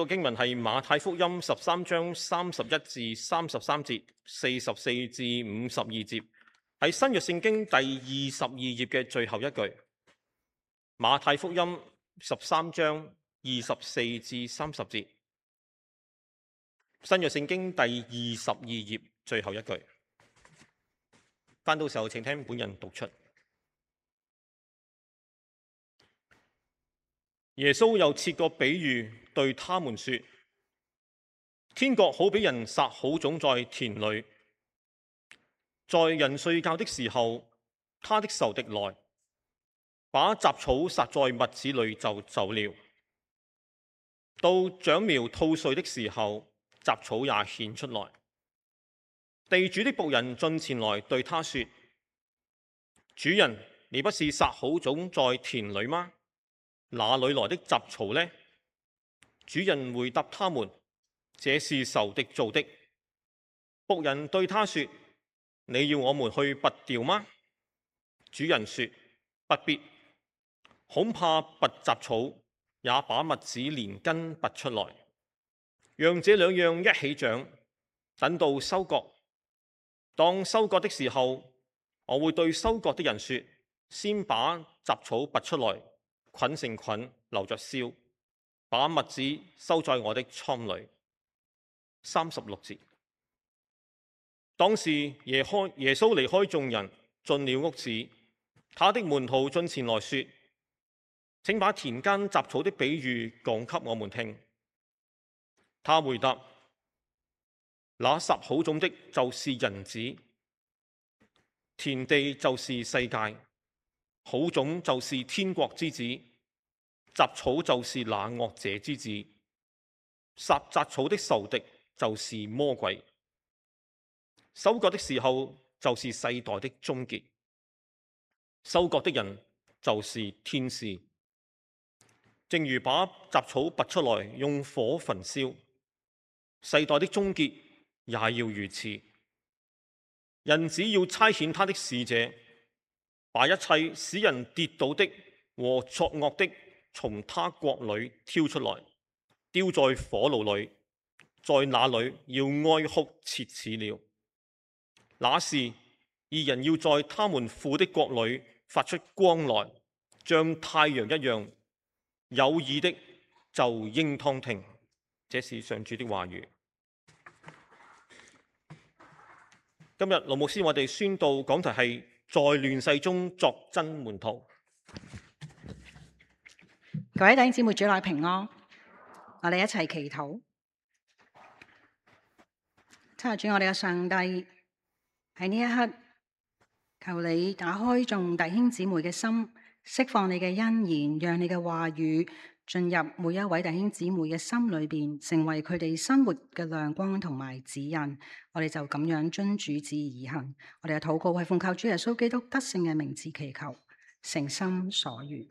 個經文係馬太福音13章31至33節、44至52節，喺新約聖經第22頁嘅最後一句。馬太福音13章24至30節，新約聖經第22頁最後一句。翻到時候，請聽本人讀出。耶穌又設個比喻對他們說：天國好比人撒好種在田裏，在人睡覺的時候，他的仇敵來，把雜草撒在麥子裏就走了。到長苗吐穗的時候，雜草也顯出來。地主的僕人進前來對他說：主人，你不是撒好種在田裏嗎？哪裏來的雜草呢？主人回答他們：這是仇敵做的。僕人對他說：你要我們去拔掉嗎？主人說：不必，恐怕拔雜草也把麥子連根拔出來，讓這兩樣一起長，等到收割。當收割的時候，我會對收割的人說：先把雜草拔出來，捆成捆，留着燒，把麥子收在我的倉裏。36節。當時耶穌離開眾人，進了屋子，他的門徒進前來說：請把田間雜草的比喻講給我們聽。他回答：那撒好種的就是人子，田地就是世界，好種就是天國之子，雜草就是那惡者之子。撒雜草的仇敵就是魔鬼。收割的時候就是世代的終結，收割的人就是天使。正如把雜草拔出來用火焚燒，世代的終結也要如此。人子要差遣他的使者，把一切使人跌倒的和作惡的從他國裏挑出來，丟在火爐裏，在那裏要哀哭切齒了。那時，義人要在他們父的國裏發出光來，像太陽一樣。有耳的就應當聽。這是上主的話語。今日盧牧師我哋宣道講題係在亂世中作真門徒。各位弟兄姊妹，主內平安，我哋一齊祈禱。親愛主，我哋嘅上帝，喺呢一刻，求你打開眾弟兄姊妹嘅心，釋放你嘅恩言，讓你嘅話語進入每一位弟兄姊妹嘅心裏邊，成為佢哋生活嘅亮光同埋指引。我哋就咁樣遵主旨而行。我哋嘅禱告係奉靠主耶穌基督得勝嘅名字祈求，誠心所願。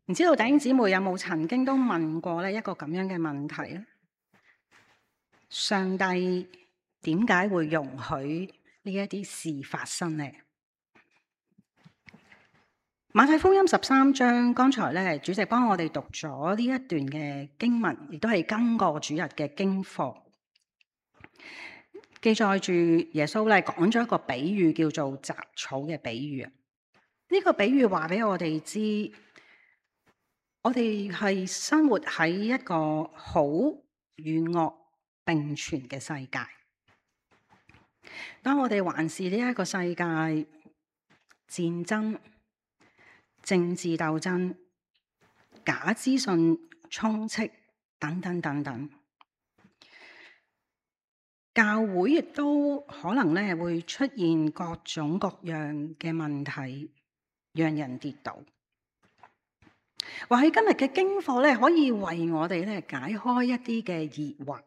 唔知道弟兄姊妹有冇曾經都問過呢一個咁樣嘅問題咧？上帝點解會容許呢一啲事發生呢？馬太福音13章，剛才咧主席幫我哋讀咗呢一段嘅經文，亦都係今個主日嘅經課，記載住耶穌咧講咗一個比喻，叫做雜草嘅比喻啊。呢個比喻話俾我哋知，我哋係生活喺一個好與惡並存嘅世界。當我哋環視呢一個世界，戰爭、政治鬥爭、假資訊充斥等等等等，教會亦都可能咧會出現各種各樣嘅問題，讓人跌倒。或許今日嘅經課咧，可以為我哋咧解開一啲嘅疑惑。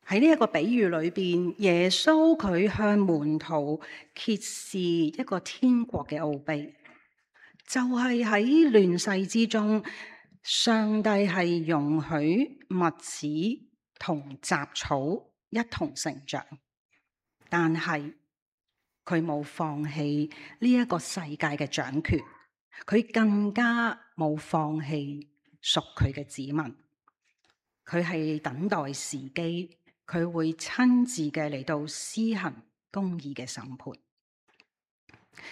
喺呢一個比喻裏邊，耶穌佢向門徒揭示一個天國嘅奧秘，就係喺亂世之中，上帝係容許麥子同雜草一同成長，但係佢冇放棄呢一個世界嘅掌權，佢更加冇放棄屬佢嘅子民。佢係等待時機，佢會親自嘅嚟到施行公義嘅審判。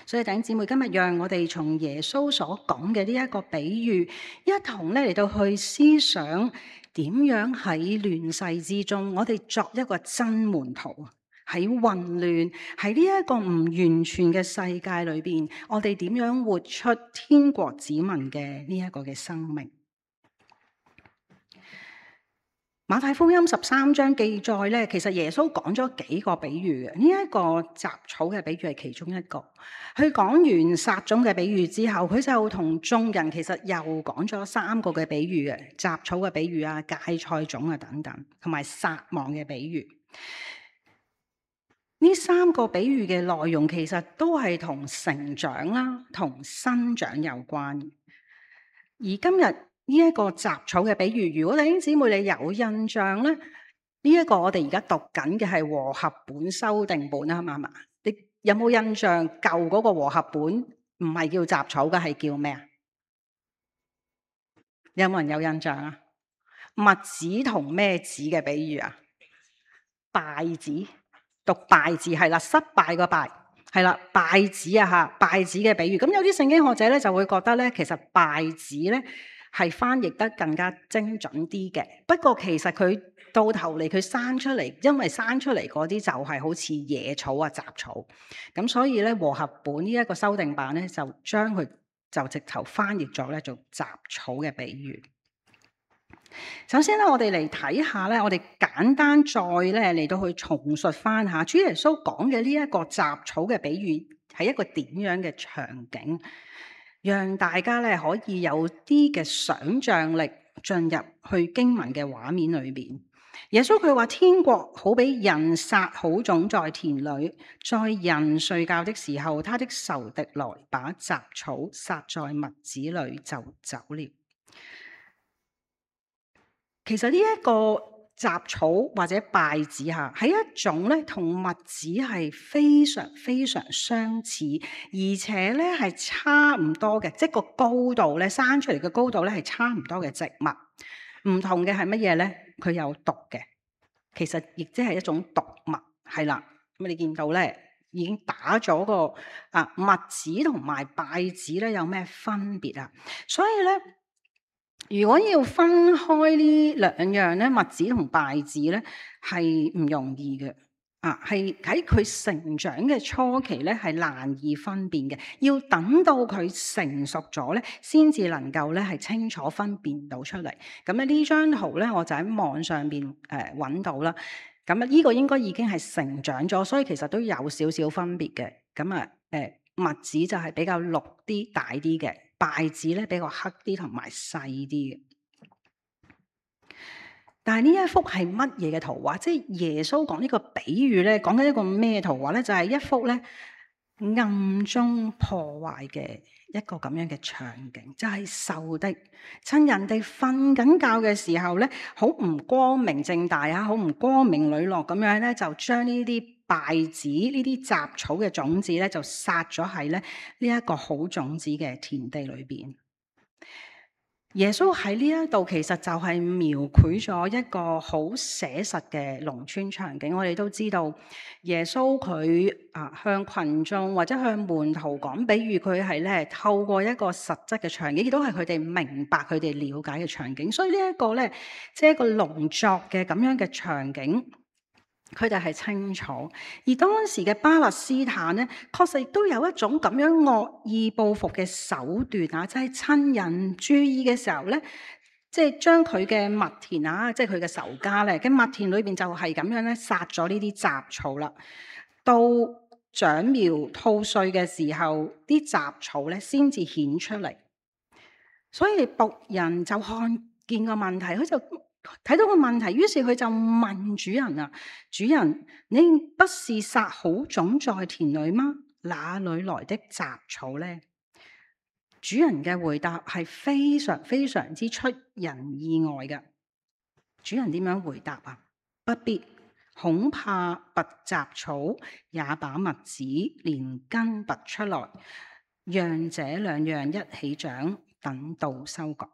所以弟兄姊妹，今日讓我哋從耶穌所講嘅呢一個比喻，一同咧嚟到去思想點樣喺亂世之中，我哋作一個真門徒。喺混亂，喺呢一個唔完全嘅世界裏邊，我哋點樣活出天國子民嘅呢一個嘅生命？馬太福音13章記載咧，其實耶穌講咗幾個比喻嘅。呢一個雜草嘅比喻係其中一個。佢講完撒種嘅比喻之後，佢就同眾人其實又講咗3個嘅比喻嘅，雜草嘅比喻啊、芥菜種啊等等，同埋撒網嘅比喻。呢3個比喻嘅內容其實都係同成長啦、同生長有關。而今日呢一個雜草嘅比喻，如果弟兄姊妹你有印象咧，呢一個我哋而家讀緊嘅係和合本修訂本啊嘛，你有冇印象舊嗰個和合本唔係叫雜草嘅，係叫咩啊？有冇人有印象啊？麥子同咩子嘅比喻啊？稗子。讀稗字係啦，失敗個敗係啦，稗子啊吓，稗子嘅比喻。咁有啲聖經學者咧就會覺得咧，其實稗子咧係翻譯得更加精準啲嘅。不過其實佢到頭嚟佢生出嚟，因為生出嚟嗰啲就係好似野草啊、雜草。咁所以咧和合本呢一個修訂版咧就將佢就直頭翻譯咗咧做雜草嘅比喻。首先咧，我哋嚟睇下咧，我哋簡單再咧嚟到去重述翻下主耶穌講嘅呢一個雜草嘅比喻係一個點樣嘅場景，讓大家咧可以有啲嘅想像力進入去經文嘅畫面裏邊。耶穌佢話天國好比人撒好種在田裏，在人睡覺的時候，他的仇敵來把雜草撒在麥子裏就走了。其實呢一個雜草或者稗子嚇，係一種咧同麥子係非常非常相似，而且咧係差唔多嘅，即係個高度咧生出嚟嘅高度咧係差唔多嘅植物。唔同嘅係乜嘢咧？佢有毒嘅，其實亦即係一種毒物，係啦。咁你見到咧已經打咗個麥子同埋稗子咧有咩分別啊？所以咧，如果要分開呢兩樣咧，麥子同稗子咧係唔容易嘅，係喺佢成長嘅初期咧係難以分辨嘅，要等到佢成熟咗咧，先至能夠咧係清楚分辨到出嚟。咁咧呢張圖咧，我就喺網上邊揾到啦。咁啊，呢個應該已經係成長咗，所以其實都有少少分別嘅。咁啊，麥子就係比較綠啲、大啲嘅。稗子咧比較黑啲同埋細啲嘅，但係呢一幅係乜嘢嘅圖畫？即係耶穌講呢個比喻咧，講緊一個咩圖畫咧？就係一幅咧暗中破壞嘅一個咁樣嘅場景，就係仇敵趁人哋瞓緊覺嘅時候咧，好唔光明正大啊，好唔光明磊落咁樣咧，就將呢啲稗子呢啲雜草嘅種子咧，就撒咗喺咧呢一個好種子嘅田地裏邊。耶穌喺呢一度其實就係描繪咗一個好寫實嘅農村場景。我哋都知道耶穌佢向群眾或者向門徒講比喻，佢係咧透過一個實質嘅場景，亦都係佢哋明白、佢哋了解嘅場景。所以呢一個咧，即係一個農作嘅咁樣嘅場景，佢哋係清楚。而當時嘅巴勒斯坦咧，確實亦都有一種咁樣惡意報復嘅手段啊，即係趁人注意嘅時候咧，即係將佢嘅麥田啊，即係佢嘅仇家咧，嘅麥田裏邊就係咁樣咧殺咗呢啲雜草啦。到長苗吐穗嘅時候，啲雜草咧先至顯出嚟。所以僕人就看見個問題，佢就睇到個問題，於是佢就問主人啊：主人，你不是撒好種在田裏嗎？哪裏來的雜草呢？主人嘅回答係非常非常之出人意外嘅。主人點樣回答啊？不必，恐怕拔雜草也把麥子連根拔出來。讓這兩樣一起長，等到收割。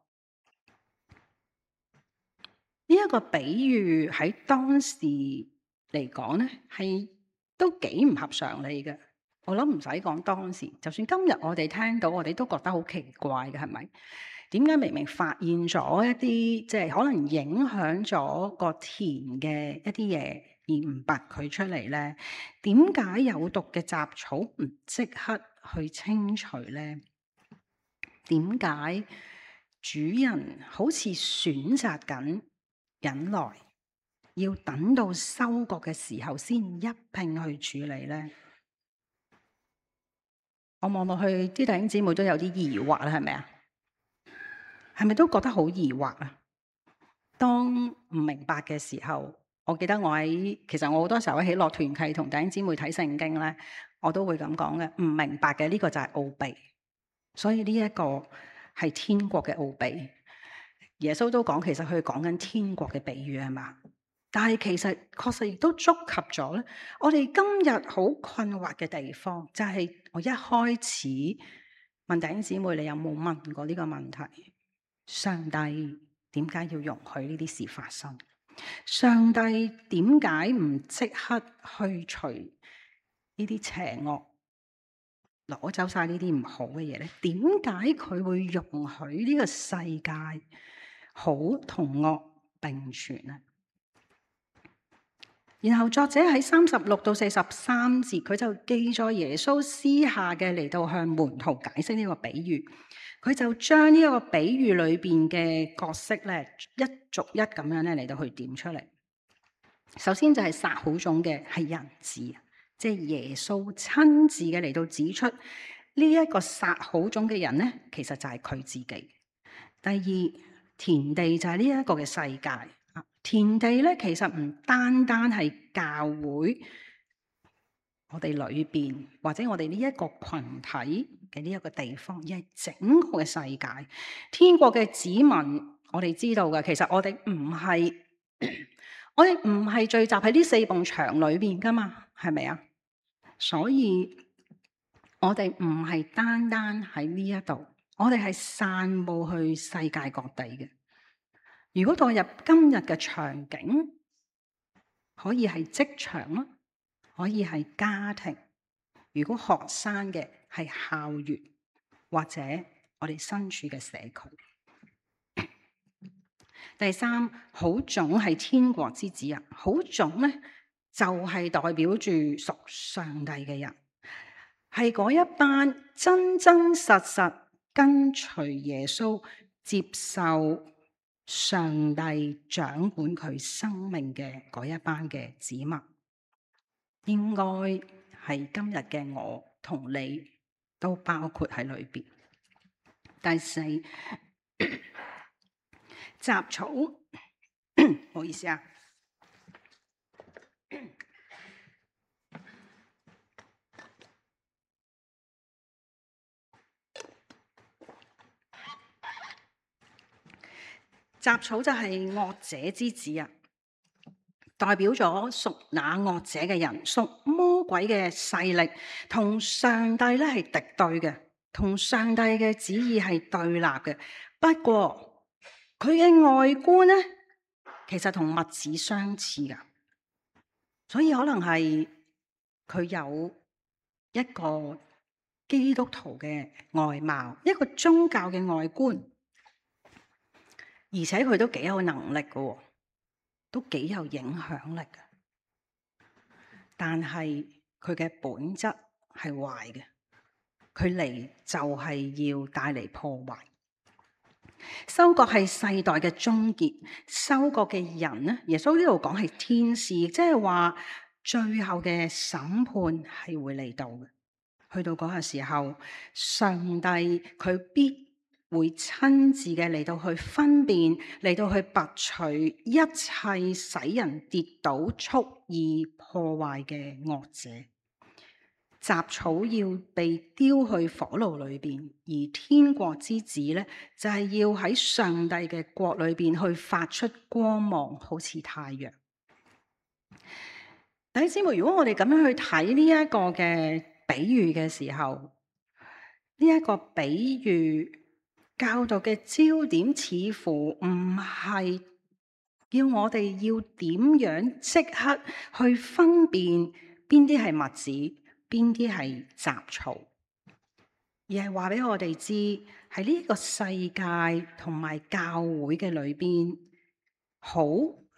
呢一個比喻喺當時嚟講咧，係都幾唔合常理嘅。我諗唔使講當時，就算今日我哋聽到，我哋都覺得好奇怪嘅，係咪？點解明明發現咗一啲即係可能影響咗個田嘅一啲嘢，而唔拔佢出嚟咧？點解有毒嘅雜草唔即刻去清除咧？點解主人好似選擇緊忍耐，要等到收割嘅時候先一併去處理咧？我望落去，啲弟兄姊妹都有啲疑惑啦，係咪啊？係咪都覺得好疑惑啊？當唔明白嘅時候，我記得其實我好多時候喺樂團契同弟兄姊妹睇聖經咧，我都會咁講嘅。唔明白嘅呢個就係奧秘，所以呢一個係天國嘅奧秘。耶穌都講，其實佢講緊天國嘅比喻係嘛？但係其實確實亦都觸及咗咧，我哋今日好困惑嘅地方，就係我一開始問弟兄姊妹，你有冇問過呢個問題？上帝點解要容許呢啲事發生？上帝點解唔即刻去除呢啲邪惡，攞走晒呢啲唔好嘅嘢咧？點解佢會容許呢個世界好同惡並存咧？然後作者喺36到43節，佢就記載耶穌私下嘅嚟到向門徒解釋呢個比喻。佢就將呢個比喻裏邊嘅角色咧，一逐一咁樣咧嚟到去點出嚟。首先就係撒好種嘅係人子，即係耶穌親自嘅嚟到指出呢一個撒好種嘅人咧，其實就係佢自己。第二，田地就係呢一個嘅世界。田地咧，其實唔單單係教會我哋裏邊，或者我哋呢一個群體嘅呢一個地方，而係整個嘅世界。天國嘅子民，我哋知道嘅，其實我哋唔係聚集喺呢4埲牆裏邊噶嘛，係咪啊？所以我哋唔係單單喺呢一度，我哋係散佈去世界各地嘅。如果代入今日嘅場景，可以係職場啦，可以係家庭。如果學生嘅係校園，或者我哋身處嘅社區。第三，好種係天國之子啊！好種咧就係代表住屬上帝嘅人，係嗰一班真真實實跟隨耶穌，接受上帝掌管佢生命嘅嗰一班嘅子民，應該係今日嘅我同你都包括喺裏邊。第四，雜草，唔好意思啊。雜草就係惡者之子啊，代表咗屬那惡者嘅人，屬魔鬼嘅勢力，同上帝咧係敵對嘅，同上帝嘅旨意係對立嘅。不過佢嘅外觀咧，其實同麥子相似噶，所以可能係佢有一個基督徒嘅外貌，一個宗教嘅外觀。而且佢都幾有能力嘅，都幾有影響力嘅。但係佢嘅本質係壞嘅，佢嚟就係要帶嚟破壞。收割係世代嘅終結，收割嘅人呢？耶穌呢度講係天使，即係話最後嘅審判係會嚟到嘅。去到嗰個時候，上帝佢必會親自嘅嚟到去分辨，嚟到去拔除一切使人跌倒、蓄意破壞嘅惡者。雜草要被丟去火爐裏邊，而天國之子咧就係要喺上帝嘅國裏邊去發出光芒，好似太陽。弟兄姊妹，如果我哋咁樣去睇呢一個嘅比喻嘅時候，呢呢一個比喻教導嘅焦點似乎唔係要我哋要點樣即刻去分辨邊啲係麥子，邊啲係雜草，而係話俾我哋知喺呢個世界同埋教會嘅裏邊，好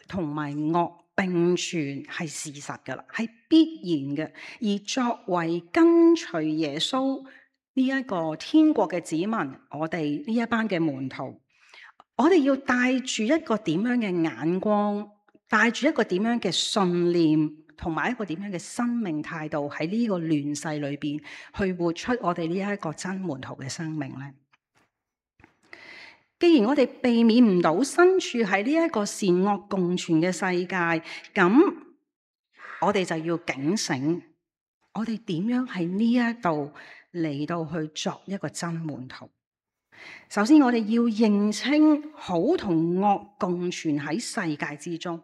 同埋惡並存係事實噶啦，係必然嘅。而作為跟隨耶穌呢一個天國嘅子民，我哋呢一班嘅門徒，我哋要帶住一個點樣嘅眼光，帶住一個點樣嘅信念，同埋一個點樣嘅生命態度，喺呢個亂世裏邊去活出我哋呢一個真門徒嘅生命呢？既然我哋避免唔到身處喺呢一個善惡共存嘅世界，咁我哋就要警醒，我哋點樣喺呢一度嚟到去作一個真門徒？首先，我哋要認清好同惡共存喺世界之中。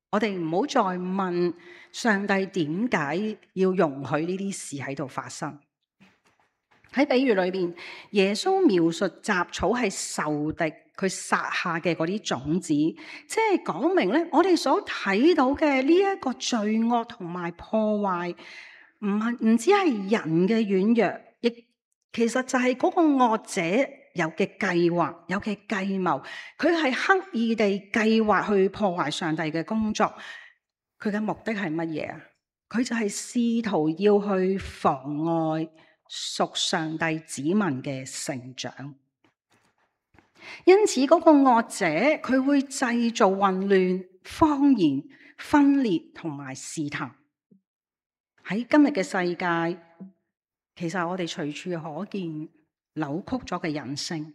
我哋唔好再問上帝點解要容許呢啲事喺度發生。喺比喻裏邊，耶穌描述雜草係仇敵佢撒下嘅嗰啲種子，即係講明咧，我哋所睇到嘅呢一個罪惡同埋破壞，唔止係人嘅軟弱，亦其實就係嗰個惡者有嘅計劃，有嘅計謀，佢係刻意地計劃去破壞上帝嘅工作。佢嘅目的係乜嘢啊？佢就係試圖要去妨礙屬上帝子民嘅成長。因此嗰個惡者佢會製造混亂、謊言、分裂同埋試探。喺今日嘅世界，其實我哋隨處可見扭曲咗嘅人性、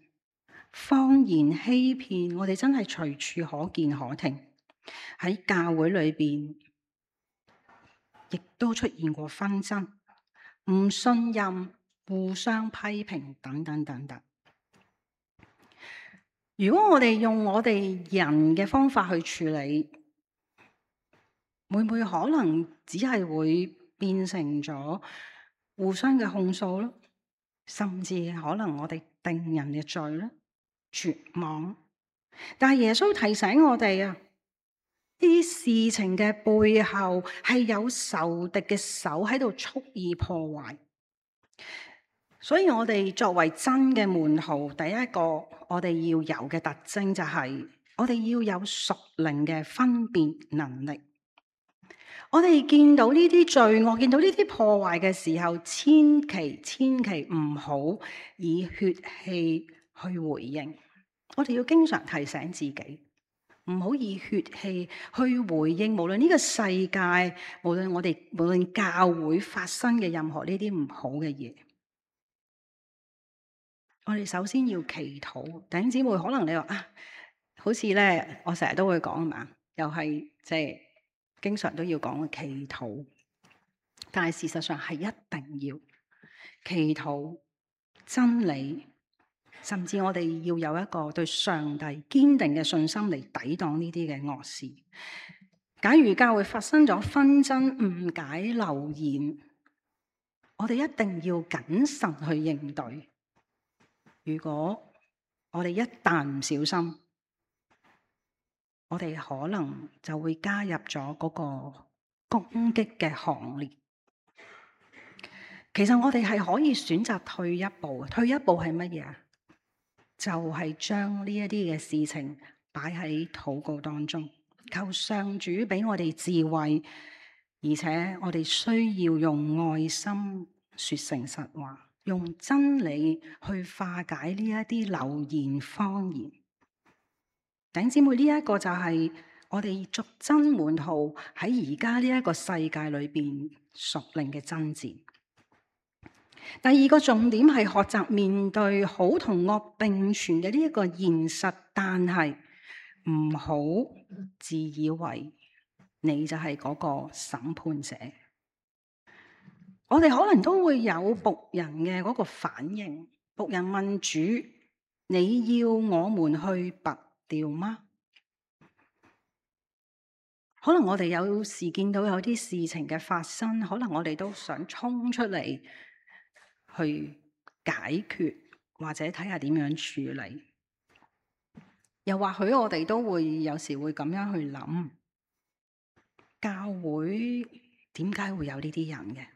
謊言欺騙，我哋真係隨處可見可聽。喺教會裏邊，亦都出現過紛爭、唔信任、互相批評等等等等。如果我哋用我哋人嘅方法去處理，會唔會可能只係會變成咗互相嘅控訴咯？甚至可能我哋定人嘅罪咧，絕望。但係耶穌提醒我哋啊，呢啲事情嘅背後係有仇敵嘅手喺度蓄意破壞。所以我哋作為真嘅門徒，第一個我哋要有嘅特徵就係我哋要有屬靈嘅分辨能力。我哋見到呢啲罪惡，見到呢啲破壞嘅時候，千祈唔好以血氣去回應。我哋要經常提醒自己，唔好以血氣去回應，無論呢個世界，無論教會發生嘅任何呢啲唔好嘅嘢。我哋首先要祈禱。弟兄姊妹，可能你話啊，好似咧，我成日都會講啊嘛，又係即係經常都要講嘅祈禱。但係事實上係一定要祈禱真理，甚至我哋要有一個對上帝堅定嘅信心嚟抵擋呢啲嘅惡事。假如教會發生咗紛爭、誤解、流言，我哋一定要謹慎去應對。如果我哋一旦唔小心，我哋可能就會加入咗嗰個攻擊嘅行列。其實我哋係可以選擇退一步。退一步係乜嘢啊？就係將呢一啲嘅事情擺喺禱告當中，求上主俾我哋智慧，而且我哋需要用愛心說誠實話，用真理去化解呢一啲流言謊言。弟兄姊妹，呢一個就係我哋作真門徒喺而家呢一個世界裏邊屬靈嘅爭戰。第二個重點係學習面對好同惡並存嘅呢一個現實，但係唔好自以為你就係嗰個審判者。我哋可能都會有僕人嘅嗰個反應，僕人問主：你要我們去拔掉嗎？可能我哋有時見到有啲事情嘅發生，可能我哋都想衝出嚟去解決，或者睇下點樣處理。又或許我哋都會有時會咁樣去諗，教會點解會有呢啲人嘅？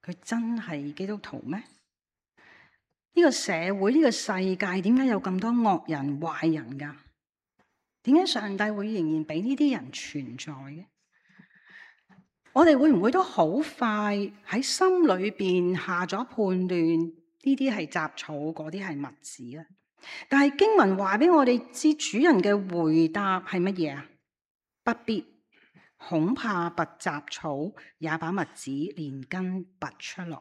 佢真係基督徒咩？呢個社會，呢個世界點解有咁多惡人壞人㗎？點解上帝會仍然俾呢啲人存在嘅？我哋會唔會都好快喺心裏邊下咗判斷，呢啲係雜草，嗰啲係麥子咧？但係經文話俾我哋知，主人嘅回答係乜嘢啊？不必，恐怕拔雜草，也把麥子連根拔出來。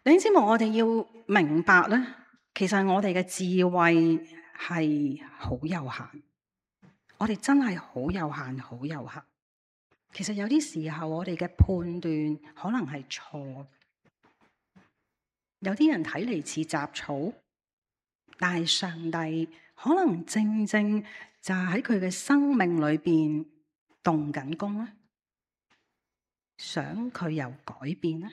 你知冇？我哋要明白咧，其實我哋嘅智慧係好有限，我哋真係好有限，好有限。其實有啲時候我哋嘅判斷可能係錯，有啲人睇嚟似雜草，但係上帝可能正正就係喺佢嘅生命裏邊動緊工咧，想佢有改變咧。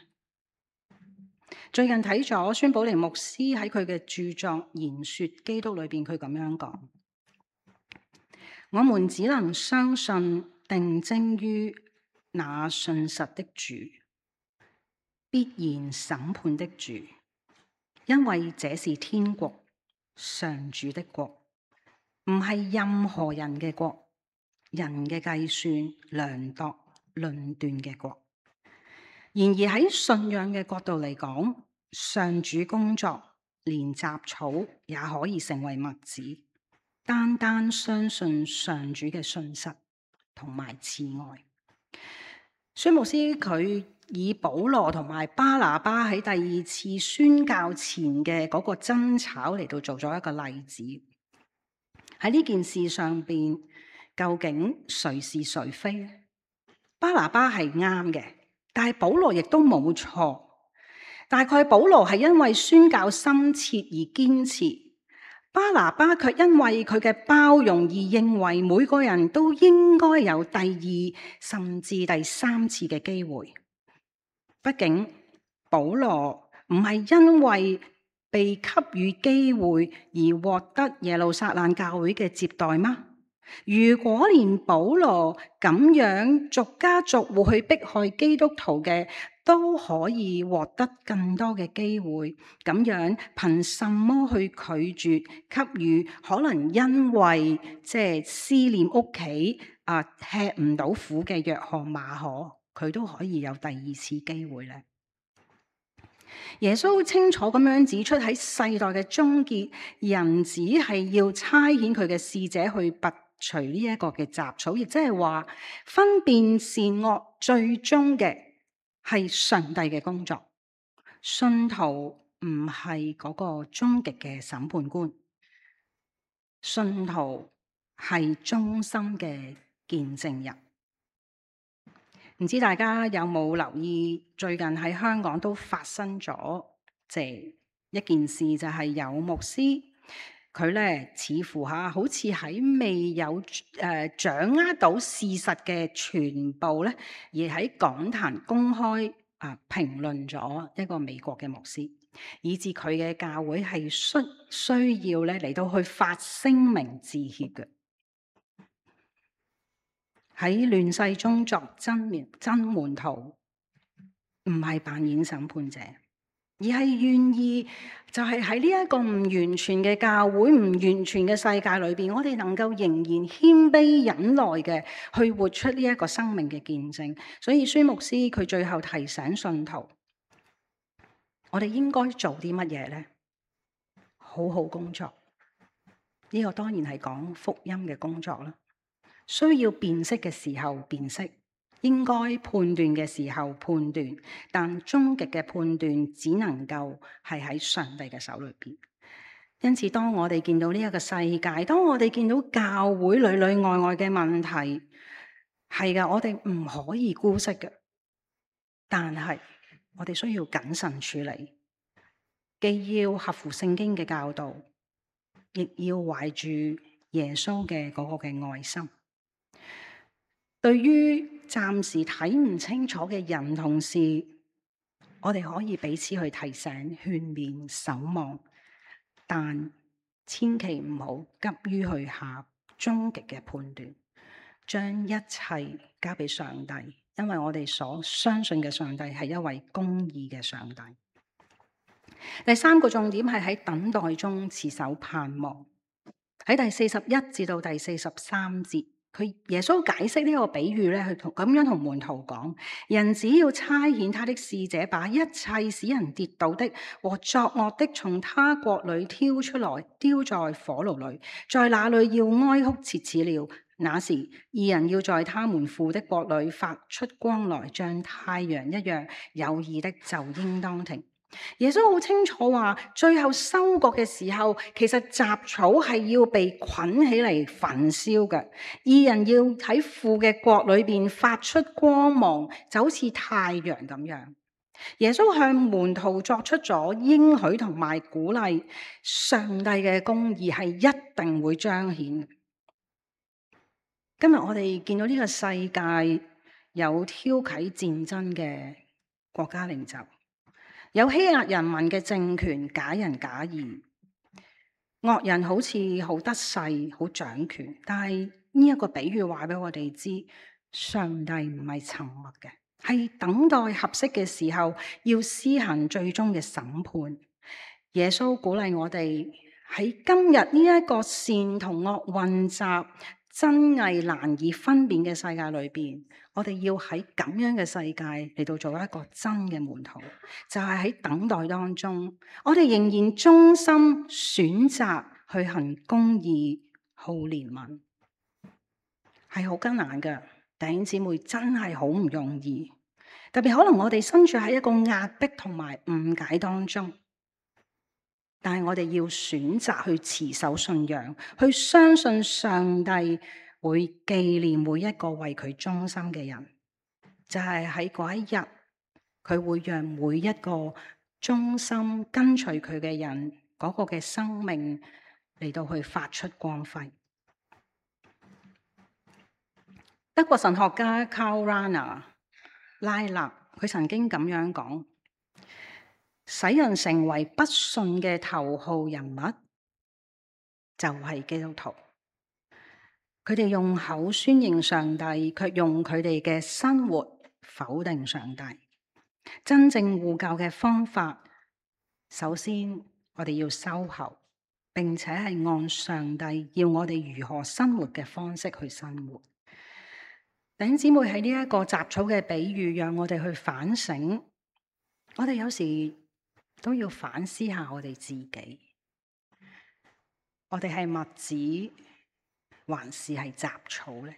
最近睇咗孫寶玲牧師喺佢嘅著作《言說基督》裏邊，佢咁樣講：我們只能相信定睛於那信實的主，必然審判的主，因為這是天國，上主的國，唔係任何人嘅國，人嘅計算、量度、論斷嘅國。然而喺信仰嘅角度嚟講，上主工作，連雜草也可以成為麥子。單單相信上主嘅信實同埋慈愛。孫牧師佢以保羅同埋巴拿巴喺第二次宣教前嘅嗰個爭吵嚟到做咗一個例子。喺呢件事上邊，究竟誰是誰非呢？巴拿巴係啱嘅，但係保羅亦都冇錯。大概保羅係因為宣教深切而堅持，巴拿巴卻因為佢嘅包容而認為每個人都應該有第二甚至第三次嘅機會。畢竟保羅唔係因為被給予機會而獲得耶路撒冷教會嘅接待嗎？如果連保羅咁樣逐家逐戶去迫害基督徒嘅都可以獲得更多嘅機會，咁樣憑什麼去拒絕給予可能因為思念屋企吃唔到苦嘅約翰馬可，佢都可以有第二次機會呢？耶穌清楚咁樣指出，喺世代嘅終結，人子係要差遣佢嘅使者去拔除呢一個嘅雜草，亦即係話分辨善惡最終嘅係上帝嘅工作。信徒唔係嗰個終極嘅審判官，信徒係忠心嘅見證人。唔知大家有冇留意，最近喺香港都發生咗一件事，就係有牧師佢咧似乎好似喺未有掌握到事實嘅全部咧，而喺講壇公開評論咗一個美國嘅牧師，以致佢嘅教會係需要咧嚟到去發聲明致歉嘅。喺亂世中作真門徒，唔係扮演審判者，而係願意就係喺呢一個唔完全嘅教會、唔完全嘅世界裏邊，我哋能夠仍然謙卑忍耐嘅去活出呢一個生命嘅見證。所以孫牧師佢最後提醒信徒，我哋應該做啲乜嘢呢？好好工作，呢個當然係講福音嘅工作啦。需要辨識嘅時候辨識，應該判斷嘅時候判斷，但終極嘅判斷只能夠係喺上帝嘅手裏邊。因此，當我哋見到呢一個世界，當我哋見到教會裏裏外外嘅問題，係噶，我哋唔可以姑息嘅。但係我哋需要謹慎處理，既要合乎聖經嘅教導，亦要懷住耶穌嘅嗰個嘅愛心。對於暫時睇唔清楚嘅人同事，我哋可以彼此去提醒、勸勉、守望，但千祈唔好急於去下終極嘅判斷，將一切交俾上帝，因為我哋所相信嘅上帝係一位公義嘅上帝。第三個重點係喺等待中持守盼望。喺第41至到第43節，耶穌解釋呢個比喻咧，佢咁樣同門徒講：人只要差遣他的使者，把一切使人跌倒的和作惡的從他國裏挑出來，丟在火爐裏，在那裏要哀哭切齒了。那時義人要在他們父的國裏發出光來，像太陽一樣。有義的就應當停。耶穌好清楚話，最後收割嘅時候，其實雜草係要被捆起嚟焚燒嘅。義人要喺父嘅國裏邊發出光芒，就好似太陽咁樣。耶穌向門徒作出咗應許同埋鼓勵，上帝嘅公義係一定會彰顯。今日我哋見到呢個世界有挑起戰爭嘅國家領袖，有欺壓人民嘅政權，假仁假義，惡人好似好得勢、好掌權。但係呢一個比喻話俾我哋知，上帝唔係沉默嘅，係等待合適嘅時候要施行最終嘅審判。耶穌鼓勵我哋喺今日呢一個善同惡混雜、真偽難以分辨嘅世界裏邊，我哋要喺咁樣嘅世界嚟到做一個真嘅門徒，就係喺等待當中，我哋仍然忠心選擇去行公義、好憐憫，係好艱難嘅。弟兄姊妹，真係好唔容易，特別可能我哋身處喺一個壓迫同埋誤解當中。但係我哋要選擇去持守信仰，去相信上帝會紀念每一個為佢忠心嘅人，就係喺嗰一日，佢會讓每一個忠心跟隨佢嘅人嗰個嘅生命嚟到去發出光輝。德國神學家 Karl Rahner 拉納，佢曾經咁樣講：使人成為不信嘅頭號人物，就係基督徒。佢哋用口宣認上帝，卻用佢哋嘅生活否定上帝。真正護教嘅方法，首先我哋要修喉，並且係按上帝要我哋如何生活嘅方式去生活。弟兄姊妹，喺呢一個雜草嘅比喻，讓我哋去反省。我哋有時都要反思下我哋自己，我哋係麥子還是係雜草呢？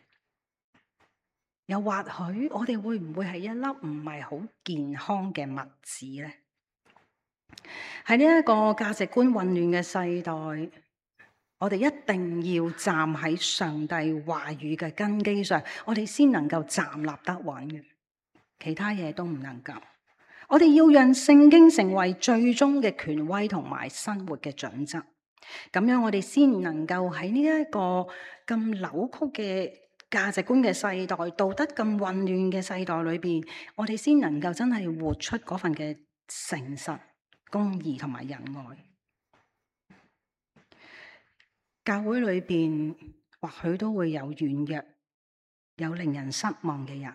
又或許我哋會唔會係一粒唔係好健康嘅麥子呢？喺呢一個價值觀混亂嘅世代，我哋一定要站喺上帝話語嘅根基上，我哋先能夠站立得穩嘅，其他嘢都唔能夠。我哋要讓聖經成為最終嘅權威同埋生活嘅準則，咁樣我哋先能夠喺呢一個咁扭曲嘅價值觀嘅世代、道德咁混亂嘅世代裏邊，我哋先能夠真係活出嗰份嘅誠實、公義同埋仁愛。教會裏邊或許都會有軟弱、有令人失望嘅人，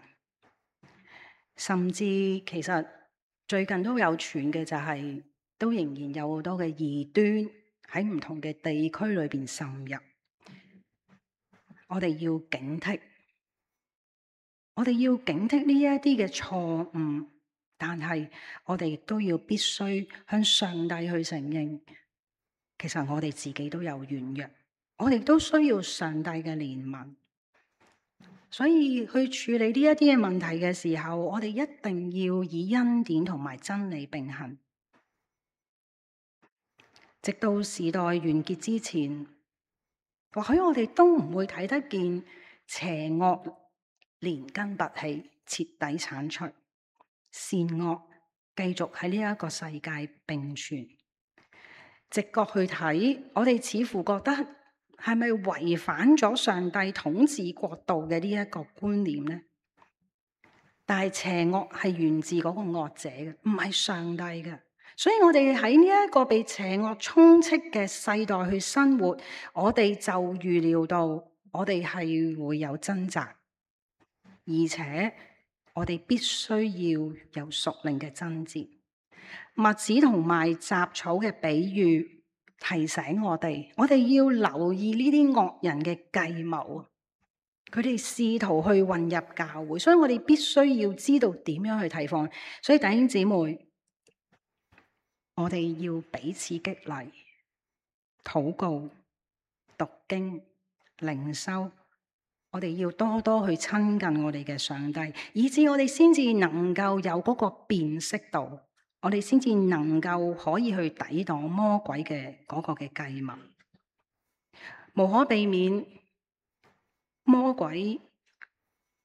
甚至其實最近都有傳嘅就係，都仍然有好多嘅異端喺唔同嘅地區裏邊滲入。我哋要警惕，我哋要警惕呢一啲嘅錯誤，但係我哋亦都要必須向上帝去承認，其實我哋自己都有軟弱，我哋都需要上帝嘅憐憫。所以去處理呢一啲嘅問題嘅時候，我哋一定要以恩典同埋真理並行，直到時代完結之前。或許我哋都唔會睇得見邪惡連根拔起，徹底鏟除，善惡繼續喺呢一個世界並存。直覺去睇，我哋似乎覺得係咪違反咗上帝統治國度嘅呢一個觀念呢？但係邪惡係源自嗰個惡者嘅，唔係上帝嘅。所以我哋喺呢一個被邪惡充斥嘅世代去生活，我哋就預料到我哋係會有掙扎，而且我哋必須要有屬靈嘅爭戰。麥子同埋雜草嘅比喻提醒我哋要留意呢啲惡人嘅計謀。佢哋試圖去混入教會，所以我哋必須要知道點樣去提防。所以弟兄姊妹，我哋要彼此激勵、禱告、讀經、靈修。我哋要多多去親近我哋嘅上帝，以致我哋先至能夠有嗰個辨識度，我哋先至能夠可以去抵擋魔鬼嘅嗰個嘅計謀。無可避免，魔鬼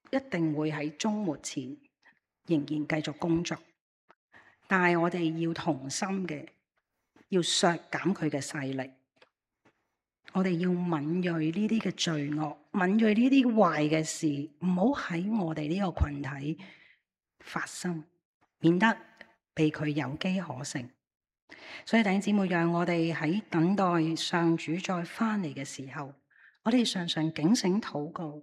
一定會喺終末前仍然繼續工作，但係我哋要同心嘅，要削減佢嘅勢力。我哋要敏銳呢啲嘅罪惡，敏銳呢啲壞嘅事，唔好喺我哋呢個群體發生，免得被佢有機可乘。所以弟兄姊妹，讓我哋喺等待上主再翻嚟嘅時候，我哋常常警醒禱告，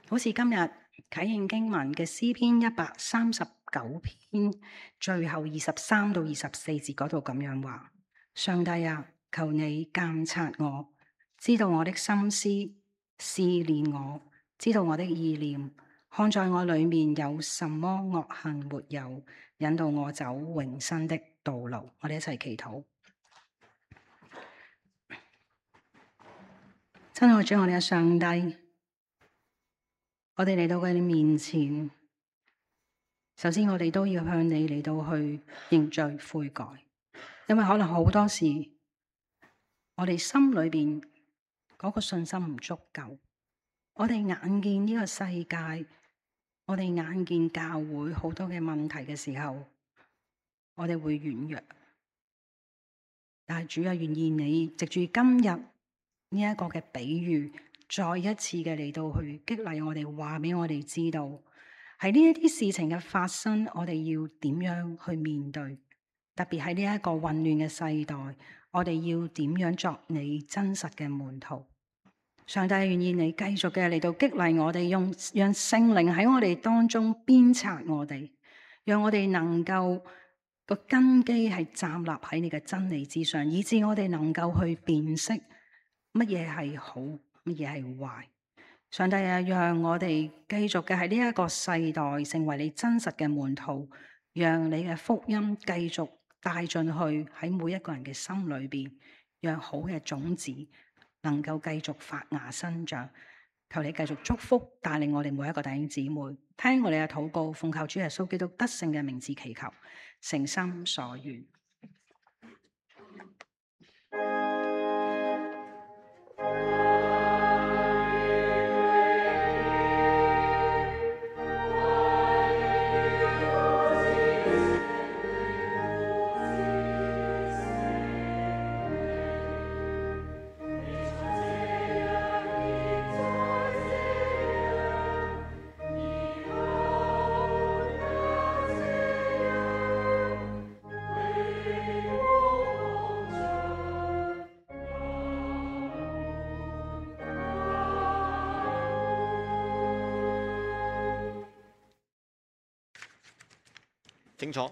好似今日啟應經文嘅詩篇139篇最後23到24節嗰度咁樣話：上帝啊，求你監察我，知道我的心思，試煉我，知道我的意念，看在我裏面有什麼惡行沒有，引導我走永生的道路。我哋一齊祈禱。親愛主，我哋嘅上帝，我哋嚟到你面前，首先我哋都要向你嚟到去認罪悔改，因為可能好多時我哋心裏邊嗰個信心唔足夠，我哋眼見呢個世界，我哋眼見教會好多嘅問題嘅時候，我哋會軟弱。但係主啊，願意你藉住今日呢一個嘅比喻，再一次嘅嚟到去激勵我哋，話俾我哋知道，喺呢一啲事情嘅發生，我哋要點樣去面對？特別喺呢一個混亂嘅世代，我哋要點樣作你真實嘅門徒？上帝願意你繼續嘅嚟到激勵我哋，讓聖靈喺我哋當中鞭策我哋，讓我哋能夠個根基係站立喺你嘅真理之上，以致我哋能夠去辨識乜嘢係好，乜嘢係壞。上帝啊，讓我哋繼續嘅喺呢一個世代成為你真實嘅門徒，讓你嘅福音繼續帶進去喺每一個人嘅心裏邊，讓好嘅種子能夠繼續發芽生長。求你繼續祝福帶領我哋每一個弟兄姊妹，聽我哋嘅禱告，奉靠主耶穌基督得勝嘅名字祈求，誠心所願。請坐。